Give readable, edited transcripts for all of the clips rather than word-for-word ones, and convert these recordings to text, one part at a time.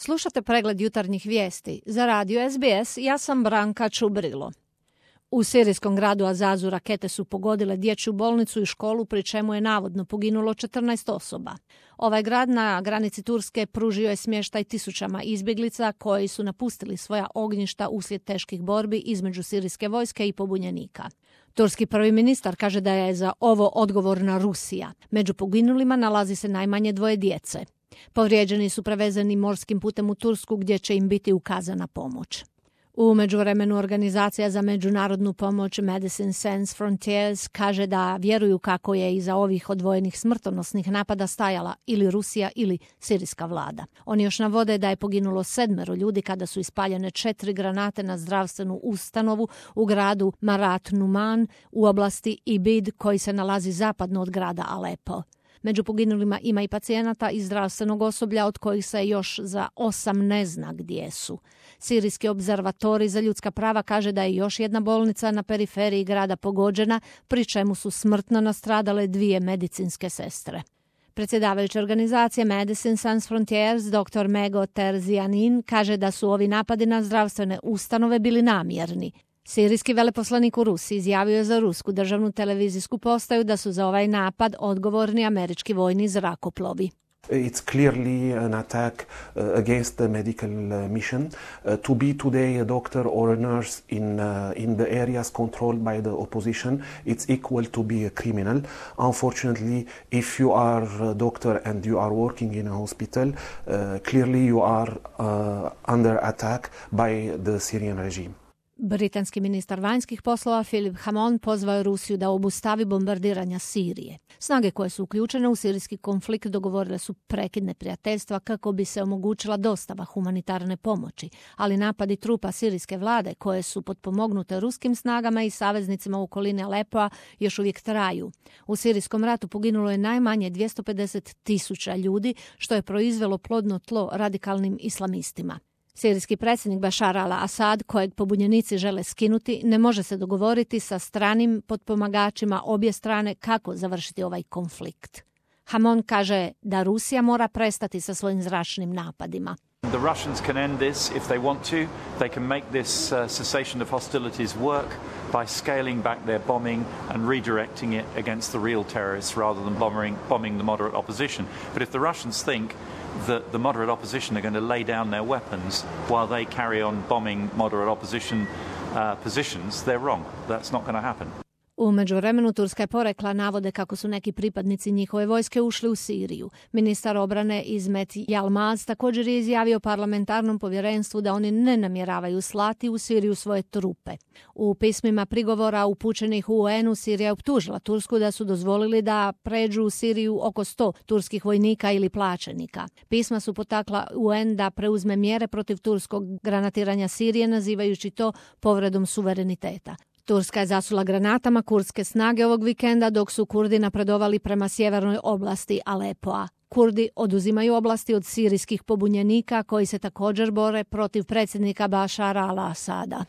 Slušate pregled jutarnjih vijesti. Za radio SBS ja sam Branka Čubrilo. U sirijskom gradu Azazu rakete su pogodile dječju bolnicu i školu, pri čemu je navodno poginulo 14 osoba. Ovaj grad na granici Turske pružio je smještaj tisućama izbjeglica koji su napustili svoja ognjišta uslijed teških borbi između sirijske vojske i pobunjenika. Turski prvi ministar kaže da je za ovo odgovorna Rusija. Među poginulima nalazi se najmanje 2 djece. Povrijeđeni su prevezeni morskim putem u Tursku gdje će im biti ukazana pomoć. U međuvremenu organizacija za međunarodnu pomoć Medicine Sans Frontiers kaže da vjeruju kako je iza ovih odvojenih smrtonosnih napada stajala ili Rusija ili sirijska vlada. Oni još navode da je poginulo 7 ljudi kada su ispaljene 4 granate na zdravstvenu ustanovu u gradu Marat Numan u oblasti Ibid koji se nalazi zapadno od grada Alepo. Među poginulima ima i pacijenata i zdravstvenog osoblja od kojih se još za 8 ne zna gdje su. Sirijski obzervatorij za ljudska prava kaže da je još jedna bolnica na periferiji grada pogođena, pri čemu su smrtno nastradale 2 medicinske sestre. Predsjedavajuća organizacije Medicine Sans Frontiers, dr. Mego Terzianin, kaže da su ovi napadi na zdravstvene ustanove bili namjerni. Sirijski veleposlanik u Rusiji izjavio je za rusku državnu televizijsku postaju da su za ovaj napad odgovorni američki vojni zrakoplovi. It's clearly an attack against the medical mission. To be today a doctor or a nurse in the areas controlled by the opposition, it's equal to be a criminal. Unfortunately, if you are a doctor and you are working in a hospital, clearly you are under attack by the Syrian regime. Britanski ministar vanjskih poslova Philip Hammond pozvao je Rusiju da obustavi bombardiranja Sirije. Snage koje su uključene u sirijski konflikt dogovorile su prekid neprijateljstva kako bi se omogućila dostava humanitarne pomoći, ali napadi trupa sirijske vlade koje su potpomognute ruskim snagama i saveznicima u okolini Alepoa još uvijek traju. U sirijskom ratu poginulo je najmanje 250.000 ljudi, što je proizvelo plodno tlo radikalnim islamistima. Sirijski predsjednik Bashar al-Assad, kojeg pobunjenici žele skinuti, ne može se dogovoriti sa stranim potpomagačima obje strane kako završiti ovaj konflikt. Hammond kaže da Rusija mora prestati sa svojim zračnim napadima. The Russians can end this if they want to. They can make this cessation of hostilities work by scaling back their bombing and redirecting it against the real terrorists rather than bombing the moderate opposition. But if the Russians think that the moderate opposition are going to lay down their weapons while they carry on bombing moderate opposition positions, they're wrong. That's not going to happen. U međuvremenu Turska je porekla navode kako su neki pripadnici njihove vojske ušli u Siriju. Ministar obrane Izmet Yilmaz također je izjavio parlamentarnom povjerenstvu da oni ne namjeravaju slati u Siriju svoje trupe. U pismima prigovora upućenih u UN-u Sirija je optužila Tursku da su dozvolili da pređu u Siriju oko 100 turskih vojnika ili plaćenika. Pisma su potakla UN da preuzme mjere protiv turskog granatiranja Sirije, nazivajući to povredom suvereniteta. Turska je zasula granatama kurdske snage ovog vikenda dok su Kurdi napredovali prema sjevernoj oblasti Alepoa. Kurdi oduzimaju oblasti od sirijskih pobunjenika koji se također bore protiv predsjednika Bashara al-Assada.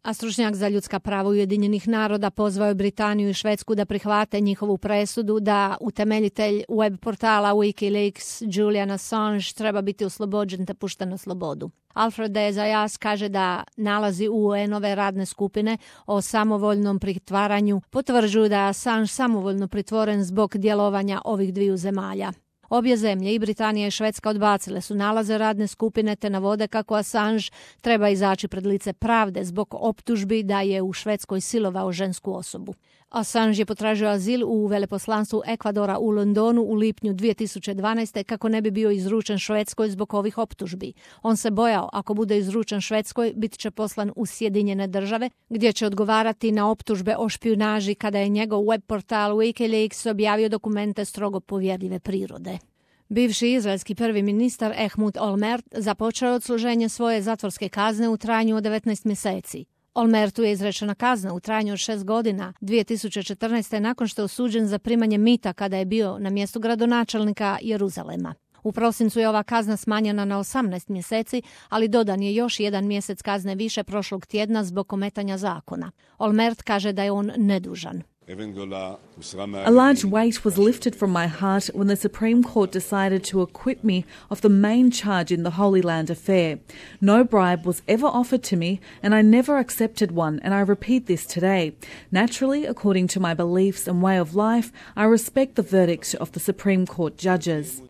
A stručnjak za ljudska prava Ujedinjenih naroda pozvao je Britaniju i Švedsku da prihvate njihovu presudu da utemeljitelj web portala Wikileaks Julian Assange treba biti oslobođen te pušten na slobodu. Alfred de Zayas kaže da nalazi UN-ove radne skupine o samovoljnom pritvaranju potvrđuju da je Assange samovoljno pritvoren zbog djelovanja ovih 2 zemalja. Obje zemlje, i Britanija i Švedska, odbacile su nalaze radne skupine te navode kako Assange treba izaći pred lice pravde zbog optužbi da je u Švedskoj silovao žensku osobu. Assange je potražio azil u veleposlanstvu Ekvadora u Londonu u lipnju 2012. kako ne bi bio izručen Švedskoj zbog ovih optužbi. On se bojao ako bude izručen Švedskoj bit će poslan u Sjedinjene države gdje će odgovarati na optužbe o špijunaži kada je njegov web portal Wikileaks objavio dokumente strogo povjerljive prirode. Bivši izraelski prvi ministar Ehud Olmert započeo je odsluženje svoje zatvorske kazne u trajanju od 19 mjeseci. Olmertu je izrečena kazna u trajanju od 6 godina 2014. nakon što je osuđen za primanje mita kada je bio na mjestu gradonačelnika Jeruzalema. U prosincu je ova kazna smanjena na 18 mjeseci, ali dodan je još 1 mjesec kazne više prošlog tjedna zbog ometanja zakona. Olmert kaže da je on nedužan. A large weight was lifted from my heart when the Supreme Court decided to acquit me of the main charge in the Holy Land affair. No bribe was ever offered to me, and I never accepted one, and I repeat this today. Naturally, according to my beliefs and way of life, I respect the verdict of the Supreme Court judges.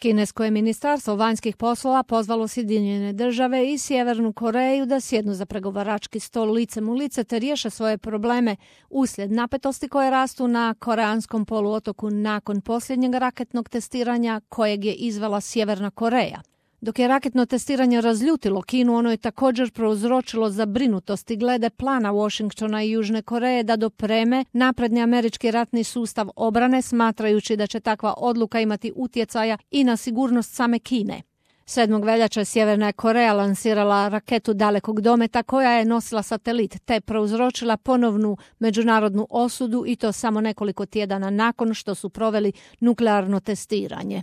Kinesko je ministarstvo vanjskih poslova pozvalo Sjedinjene države i Sjevernu Koreju da sjednu za pregovarački stol licem u lice te riješe svoje probleme uslijed napetosti koje rastu na koreanskom poluotoku nakon posljednjeg raketnog testiranja kojeg je izvela Sjeverna Koreja. Dok je raketno testiranje razljutilo Kinu, ono je također prouzročilo zabrinutosti glede plana Washingtona i Južne Koreje da dopreme napredni američki ratni sustav obrane, smatrajući da će takva odluka imati utjecaja i na sigurnost same Kine. 7. veljače Sjeverna je Koreja lansirala raketu dalekog dometa koja je nosila satelit te prouzročila ponovnu međunarodnu osudu i to samo nekoliko tjedana nakon što su proveli nuklearno testiranje.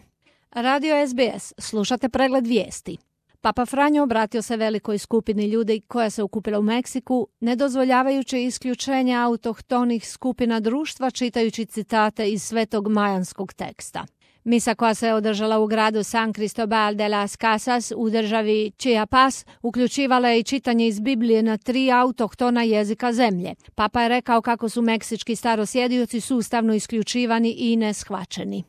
Radio SBS, slušate pregled vijesti. Papa Franjo obratio se velikoj skupini ljudi koja se okupila u Meksiku, ne dozvoljavajući isključenje autohtonih skupina društva čitajući citate iz svetog majanskog teksta. Misa koja se održala u gradu San Cristobal de las Casas u državi Chiapas uključivala je i čitanje iz Biblije na 3 autohtona jezika zemlje. Papa je rekao kako su meksički starosjedioci sustavno isključivani i neshvaćeni.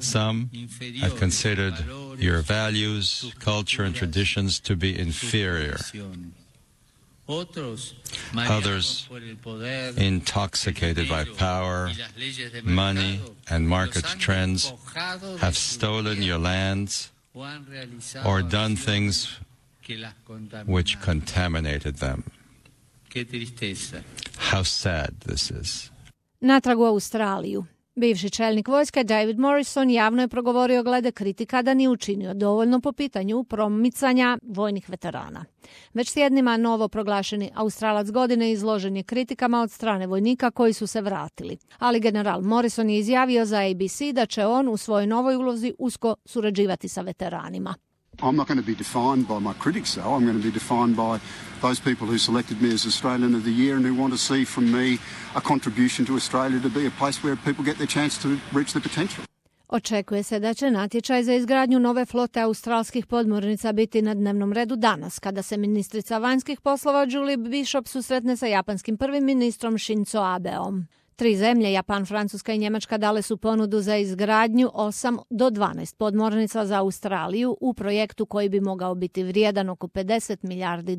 Some have considered your values, culture and traditions to be inferior. Others, intoxicated by power, money and market trends, have stolen your lands or done things which contaminated them. How sad this is. Natrag u Australiju. Bivši čelnik vojske David Morrison javno je progovorio glede kritika da nije učinio dovoljno po pitanju promicanja vojnih veterana. Već tjednima novo proglašeni Australac godine izložen je kritikama od strane vojnika koji su se vratili. Ali general Morrison je izjavio za ABC da će on u svojoj novoj ulozi usko surađivati sa veteranima. I'm not going to be defined by my critics, though. I'm going to be defined by those people who selected me as Australian of the Year and who want to see from me a contribution to Australia to be a place where people get their chance to reach their potential. Očekuje se da će natječaj za izgradnju nove flote australskih podmornica biti na dnevnom redu danas, kada se ministrica vanjskih poslova Julie Bishop susretne sa japanskim prvim ministrom Shinzo Abeom. 3 zemlje, Japan, Francuska i Njemačka, dale su ponudu za izgradnju 8 do 12 podmornica za Australiju u projektu koji bi mogao biti vrijedan oko $50 milijardi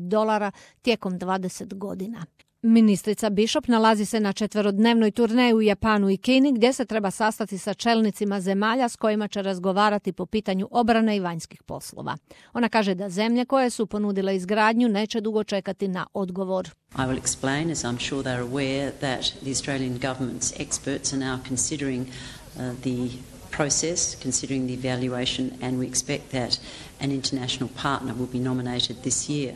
tijekom 20 godina. Ministrica Bishop nalazi se na 4-dnevnoj turneji u Japanu i Kini gdje se treba sastati sa čelnicima zemalja s kojima će razgovarati po pitanju obrane i vanjskih poslova. Ona kaže da zemlje koje su ponudile izgradnju neće dugo čekati na odgovor. I will explain, as I'm sure they're aware, that the Australian government's experts are now considering the process, considering the evaluation, and we expect that an international partner will be nominated this year.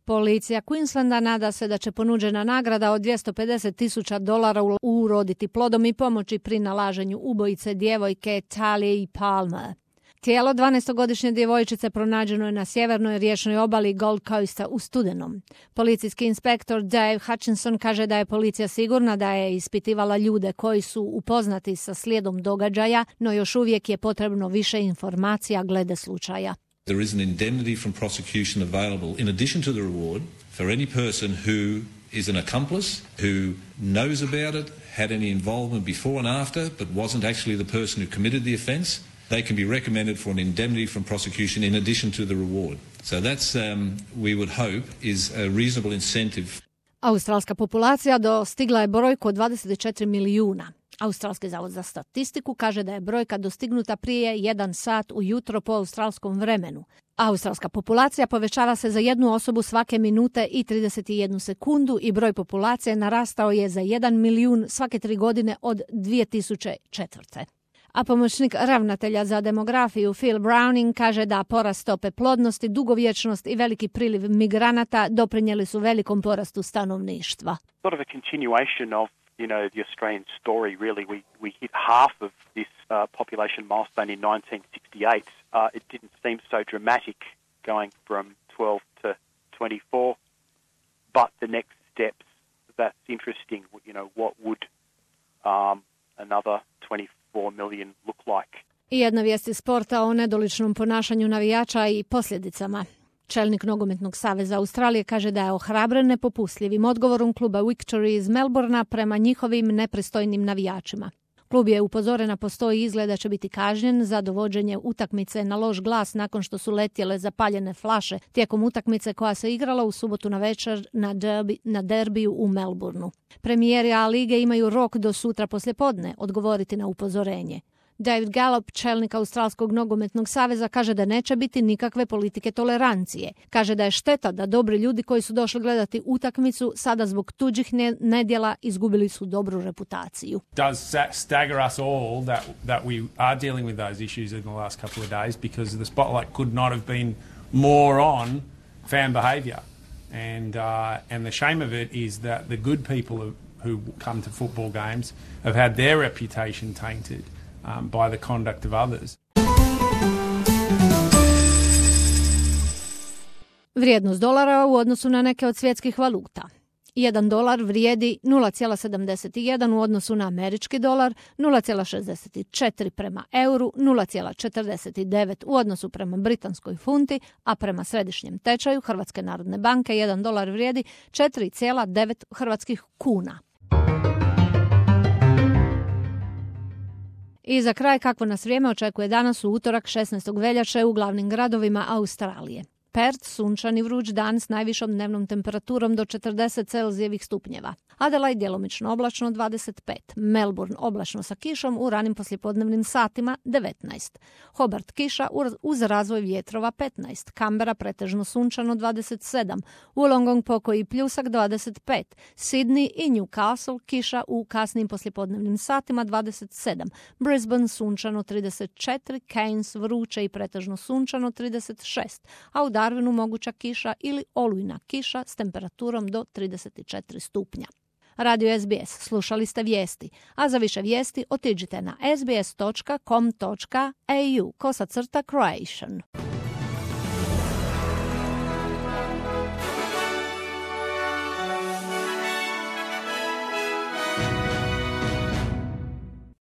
Policija Queenslanda nada se da će ponuđena nagrada od $250,000 uroditi plodom i pomoći pri nalaženju ubojice djevojke Talie Palmer. Tijelo 12-godišnje djevojčice pronađeno je na sjevernoj riječnoj obali Gold Coasta u studenom. Policijski inspektor Dave Hutchinson kaže da je policija sigurna da je ispitivala ljude koji su upoznati sa slijedom događaja, no još uvijek je potrebno više informacija glede slučaja. There is an indemnity from prosecution available in addition to the reward for any person who is an accomplice, who knows about it, had any involvement before and after, but wasn't actually the person who committed the offence. They can be recommended for an indemnity from prosecution in addition to the reward. So that's, we would hope, is a reasonable incentive. Australska populacija dostigla je brojku od 24 milijuna. Australski zavod za statistiku kaže da je brojka dostignuta prije 1 sat ujutro po australskom vremenu. Australska populacija povećava se za 1 osobu svake minute i 31 sekundu i broj populacije narastao je za 1 milijun svake 3 godine od 2004. A pomoćnik ravnatelja za demografiju Phil Browning kaže da porast stope plodnosti, dugovječnost i veliki priliv migranata doprinijeli su velikom porastu stanovništva. Sort of a continuation of the Australian story, really. We hit half of this population milestone in 1968. It didn't seem so dramatic going from 12 to 24, but the next steps that's interesting. You know, what would another 24 million look like? I jedna vijest iz sporta o nedoličnom ponašanju navijača i posljedicama. Čelnik Nogometnog saveza Australije kaže da je ohrabren nepopustljivim odgovorom kluba Victory iz Melbournea prema njihovim nepristojnim navijačima. Klub je upozoren na postoji izgled da će biti kažnjen za dovođenje utakmice na loš glas nakon što su letjele zapaljene flaše tijekom utakmice koja se igrala u subotu navečer na derbiju u Melbourneu. Premijeri A lige imaju rok do sutra poslijepodne odgovoriti na upozorenje. David Gallop, čelnik Australskog nogometnog saveza, kaže da neće biti nikakve politike tolerancije. Kaže da je šteta da dobri ljudi koji su došli gledati utakmicu sada zbog tuđih nedjela izgubili su dobru reputaciju. Does stagger us all that we are dealing with those issues in the last couple of days because the spotlight could not have been more on fan behaviour. And the shame of it is that the good people who come to football games have had their reputation tainted by the conduct of others. Vrijednost dolara u odnosu na neke od svjetskih valuta. 1 dolar vrijedi 0,71 u odnosu na američki dolar, 0,64 prema euru, 0,49 u odnosu prema britanskoj funti, a prema središnjem tečaju Hrvatske narodne banke 1 dolar vrijedi 4,9 hrvatskih kuna. I za kraj, kakvo nas vrijeme očekuje danas u utorak 16. veljače u glavnim gradovima Australije. Perth, sunčan i vruć dan s najvišom dnevnom temperaturom do 40 Celzijevih stupnjeva. Adelaide djelomično oblačno 25. Melbourne oblačno sa kišom u ranim poslijepodnevnim satima 19. Hobart kiša uz razvoj vjetrova 15. Canberra pretežno sunčano 27. Wollongong pokoji pljusak 25. Sydney i Newcastle kiša u kasnim poslijepodnevnim satima 27. Brisbane sunčano 34. Cairns vruće i pretežno sunčano 36. A u Darwinu moguća kiša ili olujna kiša s temperaturom do 34 stupnja. Radio SBS, slušali ste vijesti, a za više vijesti otiđite na sbs.com.au/Croatian.